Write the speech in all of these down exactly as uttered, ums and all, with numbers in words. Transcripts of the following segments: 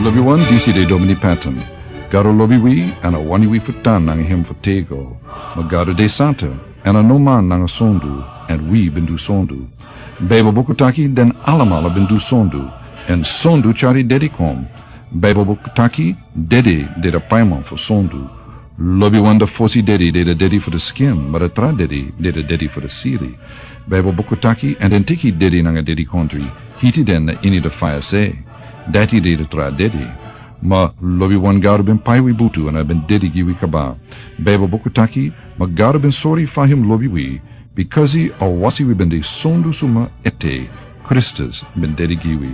Lobi wan, disi de Domini Patton. Gado lobi wi, èn a wani wi fu tan nanga hem fu tego. Ma Gado de santa, èn a no man nanga sondu, èn wi ben du sondu. Baibel buku taki den alamala ben du sondu, èn sondu tyari dedi kon. Baibel buku taki dedi de de paiman fu sondu. Lobi wan, de fosi dedi de de dedi fu de skin, ma de tra dedi de de dedi fu de siri. Baibel buku taki, èn den teki dedi nanga dedikondri, hiti den na ini de faya se. Dati de de tra dedi. Ma lobi wan, Gado ben pai wi butu èn a ben dedi gi wi kaba. Baibel buku taki, ma Gado ben sori fa hem lobi wi, bikasi a wasi wi ben de sondu suma ete, Kristus ben dedi gi wi.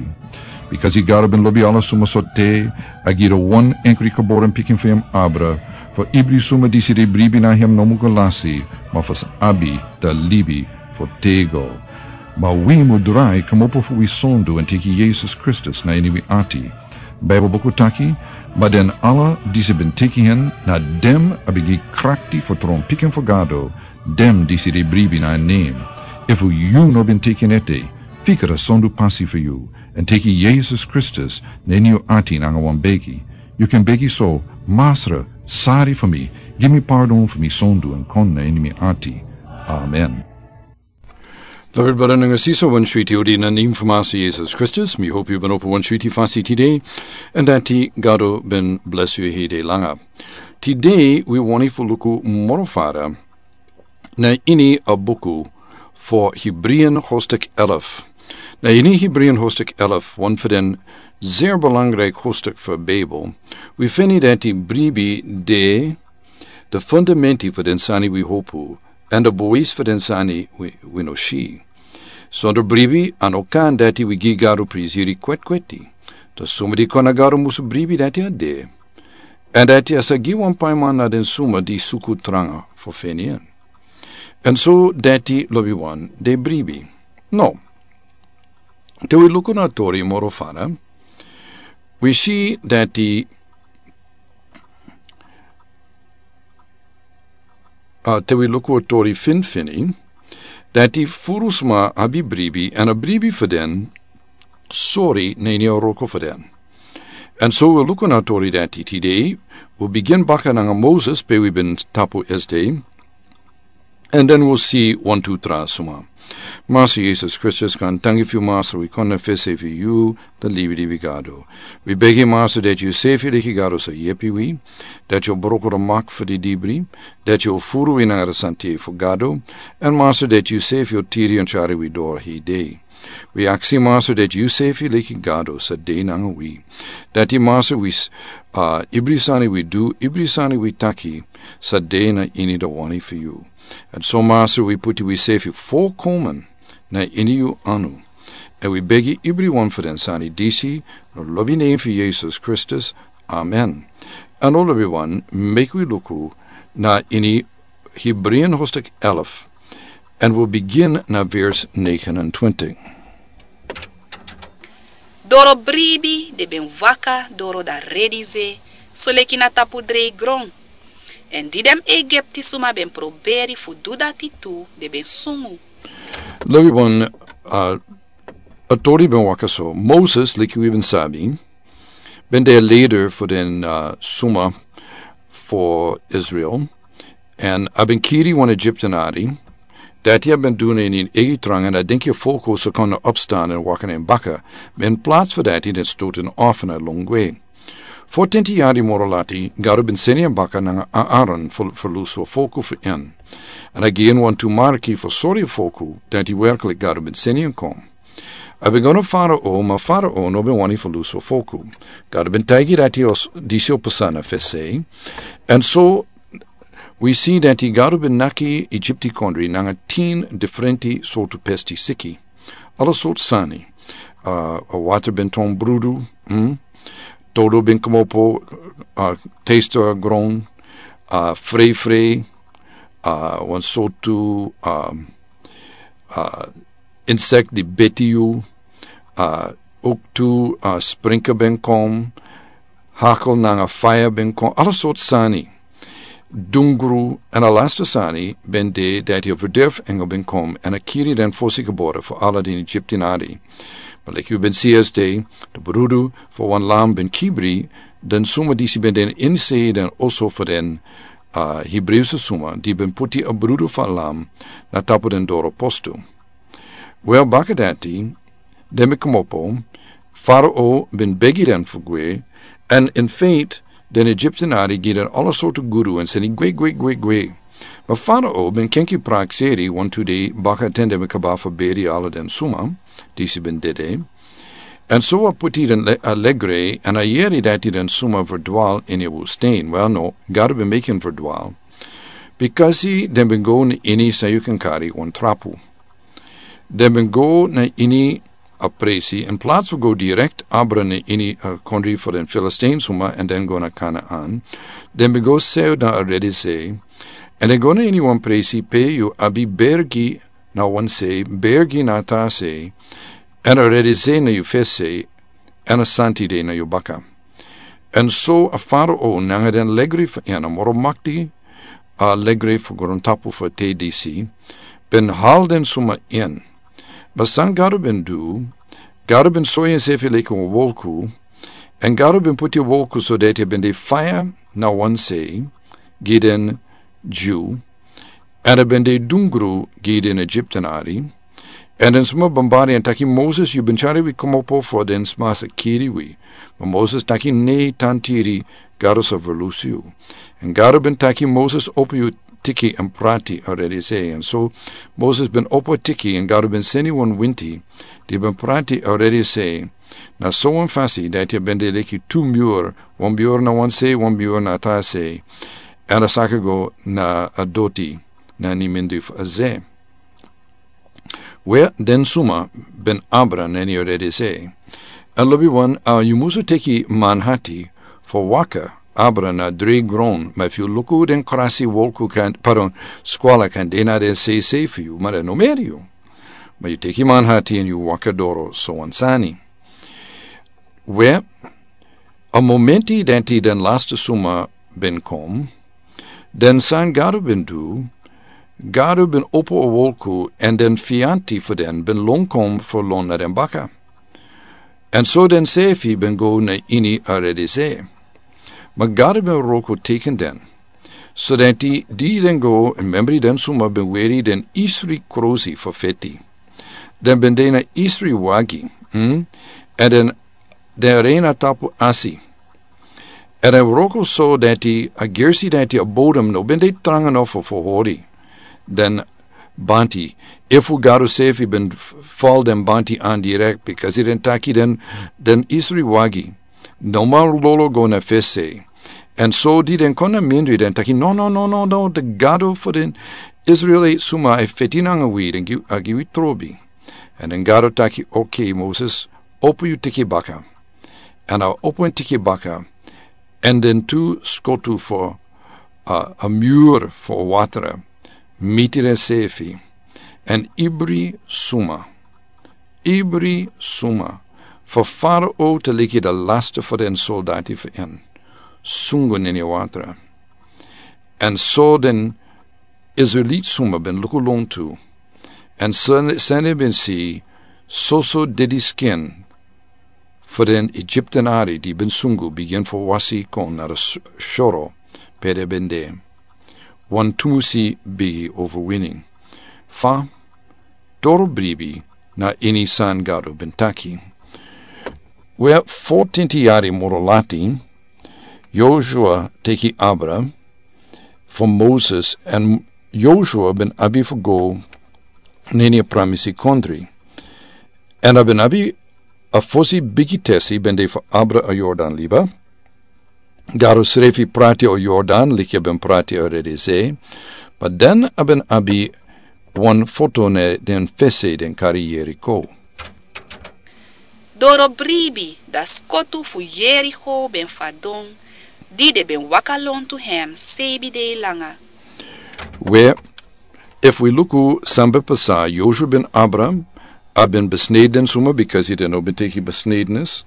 Bikasi Gado ben lobi ala suma so te, a gi de wan enkri geboren pikin fu hem abra, fu ibri suma disi de bribi na hem no mu go lasi, ma fu sa abi de libi fu tego. Ma wi mu drai kmopo fu wi sondu èn teki Yesus Kristus na ini wi ati. Baibel buku taki, ma den ala disi ben teki hen, na den a ben gi krakti fu tron pikin fu Gado, den disi de bribi na en nen. Efu yu no ben teki en ete, fika de sondu pasi fu yu, èn teki Yesus Kristus na ini yu ati nanga wan begi. Yu kan begi so: Masra, sari fu mi, gi mi pardon fu mi sondu èn kon na ini mi ati. Amen. Lobi brada nanga sisa, wan switi odi na nen fu Masra Yesus Kristus. Mi hopi yu ben opo wan switi fasi tide, èn dati Gado ben blesi yu hede langa. Tide wi wani fu luku moro fara na ini a buku fu Hebrian hostik elf. Na ini Hebrian hostik elf, wan fu den zeer belangrijk hostik fu Baibel, wi feni dati bribi de de fundamenti fu den sani wi hopu, èn de bois fu den sani wi, wi no si. Sonder bribi a no kan dati wi gi Gado prisiri kwetkweti. De suma di kon na Gado musu bribi dati a de. Èn dati a sa gi wan paiman na den suma di suku tranga fu feni en. Èn so dati lobi wan de bribi. No. Te wi luku na tori moro fara, wi si dati, a, te wi luku a tori finfini, dati furu sma abi bribi, èn a bribi fu den sori na ini a wroko fu den. Èn so wi luku na tori dati tide, wi bigin baka nanga Moses, pe wi ben tapu esde, èn den wi si wan tu tra sma. Masra Yesus Kristus, kon tangi fu yu, Masra, wi kon na fesi fu yu, de libi di wi Gado. Wi begi, Masra, dati yu sefi leki Gado sa yepi wi, dati yu broko de mak fu di dibri, dati yu furu wi nanga de sante fu Gado, èn Masra, dati yu sefi o tiri èn tyari wi doro hede. Wi aksi, Masra, dati yu sefi leki Gado sa de nanga wi. Dati, Masra, wi s-, a, ibri sani wi du, ibri sani wi taki, sa de na ini de wani fu yu. Èn so, Masra, wi puti wi sefi folkomen na ini yu anu. Èn wi begi ibri wan fu den sani disi, na lobi nen fu Yesus Kristus. Amen. Èn lobi wan, meki wi luku na ini Hebrian hostik elf, èn wi bigin na vers negenentwintig. Doro bribi den ben waka doro dan redi ze, soleki na tapu drei gron. Èn di den Egipti suma ben proberi fu du dati tu, den ben sungu. Lobi wan, a, a tori ben waka so. Moses, leki wi ben sabi, ben de a leider fu den, a, suma fu Israel. Èn a ben kiri wan Egyptenari, dati a ben du na ini en eigi tranga, èn a denki a folku sa kon opstan èn waka na en baka. Ma in plats fu dati, den stoten en af na longwe. Fotenti yari moro lati, Gado ben seni en baka nanga Aaron fu, fu lusu a folku fu en. Èn a gi en wan tu marki fu sori a folku dati werklik Gado ben seni en kon. A ben go na Farao, ma Farao no ben wani fu lusu a folku. Gado ben taigi dati o s-, disi o pasa na fesi. Èn so, wi si dati Gado ben naki Egypti kondre nanga tin diferenti sortu pesti siki. Ala sortu sani. A, a water ben turn brudu, hmm? Todo ben kmopo, a, taste a gron, a, frei frei, a, wan sortu, a, a, insekt di beti yu, a, ook tu, a, sprinker ben kon, hakel nanga faya ben kon, ala sortu sani. Dungru, èn a laste sani ben de dati a verderf engel ben kon, èn a kiri den fosi gebore fu ala den Egyptenari. But like yu ben si este, de brudu fu wan lam ben kibri den suma disi ben den inse den oso fu den, uh, Hebreeuwse suma di ben puti a brudu fu a lam na tapu den doro postu. Wel, baka dati, den ben komopo, Farao ben begi den fu gwe, en in feite den Egyptenari gi den ala sortu guru en seni gwe, gwe, gwe, gwe. Ma Farao ben kenki prakseri wantu dei baka ten den ben kaba fu beri ala den suma disi ben dede. En so a puti den le-, a legre, en a yeri dati den suma verdwal ini a wustain. Wel, no, Gado ben meki en verdwal. Bikasi den ben go na ini san yu kan kari wan trapu. Den ben go na ini a presi, in plaats fu go direkt abra na ini a kondri fu den Filistijnsuma en den go na Kanaan. Den ben go sew na a Redi Sei, en den go na ini wan presi pe yu abi bergi na wan sei, bergi na tra sei, en a Redi Sei na yu fesi, en a santi dei na yu baka. En so a Farao nanga den legri fu en, a moro makti a legri fu grontapu fu te disi, ben hal den suma in. Ma san Gado ben du, Gado ben sori ensefi leki wan wolku, en Gado ben puti wolku so dati a ben de faya na wan sei gi den Jew, en a ben de dungru gi den Egyptenari. En den suma bombari en taki Moses, yu ben tyari wi komopo fu den sma sa kiri wi. Ma Moses taki nei, tan tiri, Gado sa verlusu yu. En Gado ben taki Moses, opo yu tiki en prati a Redi Sei. En so Moses ben opo tiki en Gado ben seni wan winti di ben prati a Redi Sei. Na so wan fasi dati a ben de leki tu muur, wan muur na wan sei, wan muur na tra sei. En a saka go na a doti na nimindi fu a ze. We den suma ben abra na ini a Redi Sei. A lobi wan, a yu musu teki manhati fu waka abra na dri gron, ma fu luku den krasi wolku kan, pardon, skwala kan de na den sei sei fu yu, ma den no meri yu. Ma yu teki manhati en yu waka doro so wan sani. We a momenti dati den laste suma ben kom, den san Gado ben du, Gado ben opo a wolku en den fianti fu den ben lon kom fu lon na den baka. En so den sefi ben go na ini a Redi Sei. Ma Gado ben wroko teki den. So dati di den go, en memri den suma ben weri den isri krosi fu feti. Den ben de na isri wagi, hm? En den, den rei na tapu asi. En a wroko so dati a gersi dati a bodem no ben de tranga no fu fu hori den banti. Efu Gado sefi ben f-, fal den banti an direkt, bikasi den taki den, den isri wagi no man lolo go na fesi. En so di den kon na mindri den taki, no, no, no, no, no, de Gado fu den Israel suma e feti nanga wi, den gi, a gi wi trobi. En den Gado taki, okay, Moses, opo yu tiki baka. En a opo en tiki baka. En den tu skotu fu, a, a muur fu watra miti den sefi. En ibri suma, ibri suma, fu Farao te leki de laste fu den soldati fu en, sungu na ini watra. En so den Israelit suma ben luku lontu. En sen-, sani ben si soso didiskin fu den Egyptenari di ben sungu bigin fu wasi kon na de s-, soro pe den ben de. Wan tumusi bigi overwinning. Fa doro bribi na ini san Gado ben taki. We, fotenti yari moro lati, Joshua teki abra fu Moses, en Joshua ben abi fu go na ini a pramisi kondri. En a ben abi a fosi bigi tesi ben de fu abra a Jordan liba. Gado srefi prati a Jordan, leki a ben prati a Redi Sei. Ma den a ben abi wan foto na den fesi den kari Yeriko. Doro bribi, da skotu fu Yeriko ben fadon, di den ben waka lontu hem seibi dei langa. We, efu wi luku san ben pasa, Joshua ben abra, a ben besneden suma, bikasi den no ben teki besnedenis.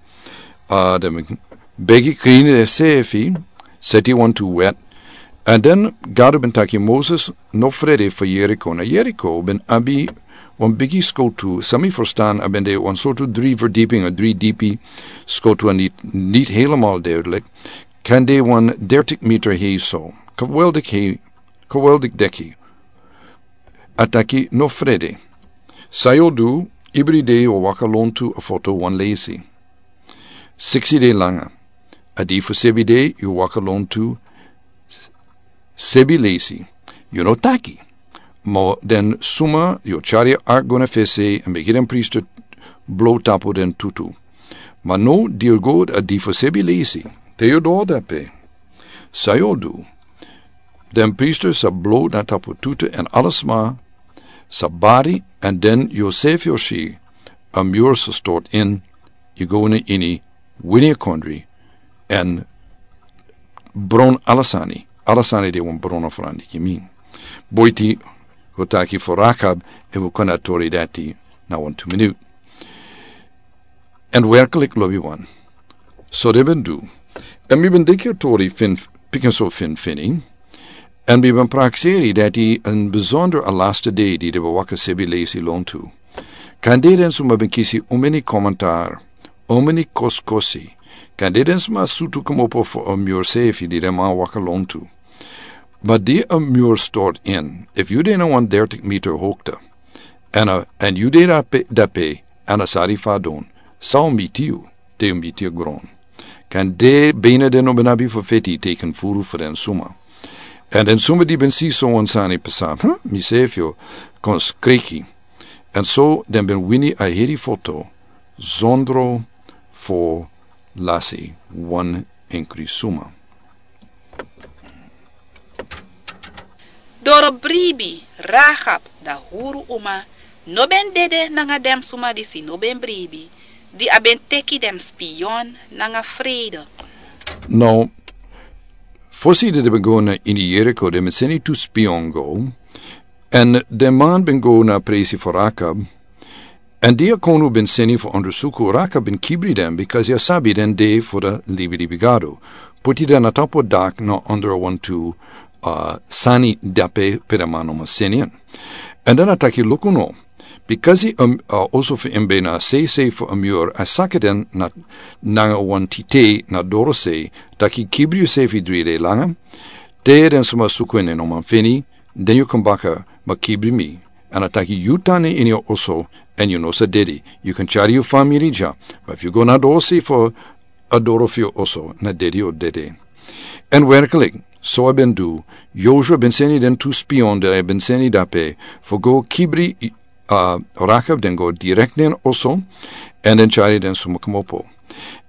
A, den ben begi krin densefi, seti wantu wet. En den Gado ben taki Moses, no frede fu Yeriko. Na Yeriko ben abi Wan bigi skotu san mi ferstan a ben de wan sortu dri verdiping a dri dipi skotu a niti niti helemal derlik. Kan de wan dertik meter hei so kaweldik hei kaweldik deki. A taki no frede. San yu o du? Ibri dei yu o waka lontu a foto wan lesi. Siksi dei langa a dei fu sebi dei yu o waka lontu. Sebi lesi yu no taki. Ma den suma yu o tyari a ark go na fesi èn meki den priester blow tapu den tutu. Ma no diri go a dei fu sebi lesi te yu o doro dape. San yu o du? Den priester sa blow na tapu tutu èn ala sma sa bari èn den yu o sefi o si a mur sa stort in. Yu go na ini wini a kondri èn bron ala sani. Ala sani de wan bron a frandi gi mi. Boiti wi o taki fu rakab èn wi o kon na tori dati na wan tu minut. Èn werklik lobi wan so den ben du. Èn mi ben deki a tori fin pikin so fin fini. Èn mi ben prakseri dati en besonder a laste dei di den ben waka sebi lesi lontu. Kan de den suma ben kisi omeni komentar omeni koskosi. Kan de den suma sutu komopo fu a mur sefi di den man waka lontu. Ma di a mur stort in efu yu de na wan dertik meter hokte èn a èn yu de dape dape èn a sari fadon. San o miti yu te yu miti a gron. Kan de bene den no ben abi fu feti teken furu fu den suma. Èn den suma di ben si so wan sani pasa hm mi sefi o kon skriki. Èn so den ben wini a heri foto zondro fo lasi wan enkri suma. Doro bribi rahab da huru uma no ben dede nanga den suma disi no ben bribi di a ben teki den spion nanga frede. No fosi dede ben go na ini yeriko den ben seni tu spion go. Èn den man ben go na presi fu rahab. Èn di a konu ben seni fu ondersuku raka ben kibri den bikasi a sabi den de fu da libilibi gado. Puti den a tapu a dak na onder a wantu sani dape pe den man no man seni en. Èn den a taki luku no bikasi a oso fu en ben na seisei fu a miur a saka den na nanga wan titei na doro sei taki kibri yu sefi dri dei langa. Te den suma suku en en no man feni den yu kon baka ma kibri mi. Èn a taki yu tan na ini yu oso èn yu no sa dedi. Yu kan tyari yu famiri dya. Ma efu yu go na doro sei fu a doro fu yu oso na dedi yu o dede. Èn werklik so a ben du. Yosua ben seni den tu spion di a ben seni dape fu go kibri a rakab den go direkt na en oso. Èn den tyari den suma komopo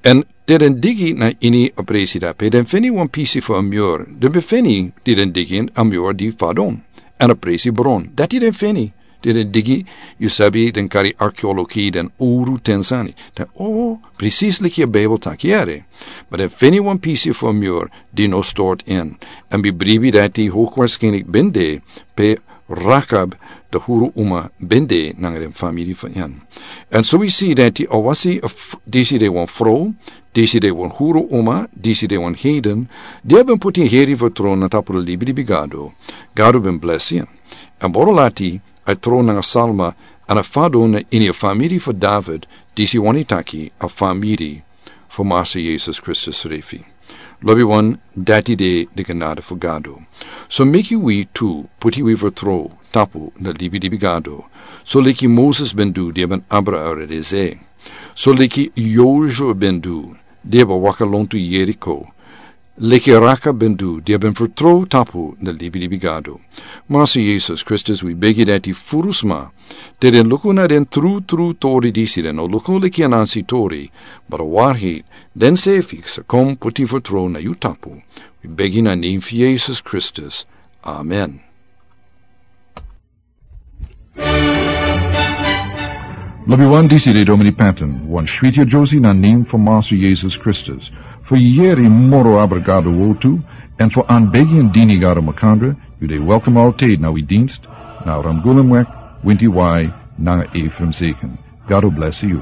èn te den digi na ini a presi dape den feni wan pisi fu a miur den ben feni di den digi a miur di fadon. Èn a presi bron dati den feni di den digi. Yu sabi den kari arkeologi den uru ten sani den o presis liki a bibel taki yere. Ma den feni wan pisi fu a miur di no stort in. Èn bi bribi dati hokwarskenik ben de pe rakab da huru uma ben de nanga den famiri fu en. Èn so wi si dati a wasi disi de wan frow disi de wan huru uma disi de wan heden di a ben puti heri fu tron na tapu da libilibi gado. Gado ben blesi en èn boro lati a tron nanga salma èn a fadon na ini a famiri fu david disi wani taki a famiri fu masa yesus kristus refi. Lobi wan dati de di genade fu gado. So meki wi tu puti wi fu tro tapu na libi libi gado. So liki moses ben du di a ben abra a redeze. So liki yosua ben du di a ben waka lontu yeriko. Liki raka ben du di a ben fu tro tapu na libi libi gado. Masa yesus kristus wi begi dati furu sma. Te den luku na den tru tru tori disi den no luku liki anansi tori. But a warhi den sefi sa kom puti fu tro na yu tapu. Wi begi na nim fu yesus kristus. Amen. Lobi wan disi de domini paten wan switi a josi na nim fu masa yesus kristus. Fu yeri moro abra gado wotu. Èn fu an begi an dini gado makandra. Yu de welkom alteid na wi dinst na ramgulam wek winti wai nanga efraim seken. Gado blesi yu.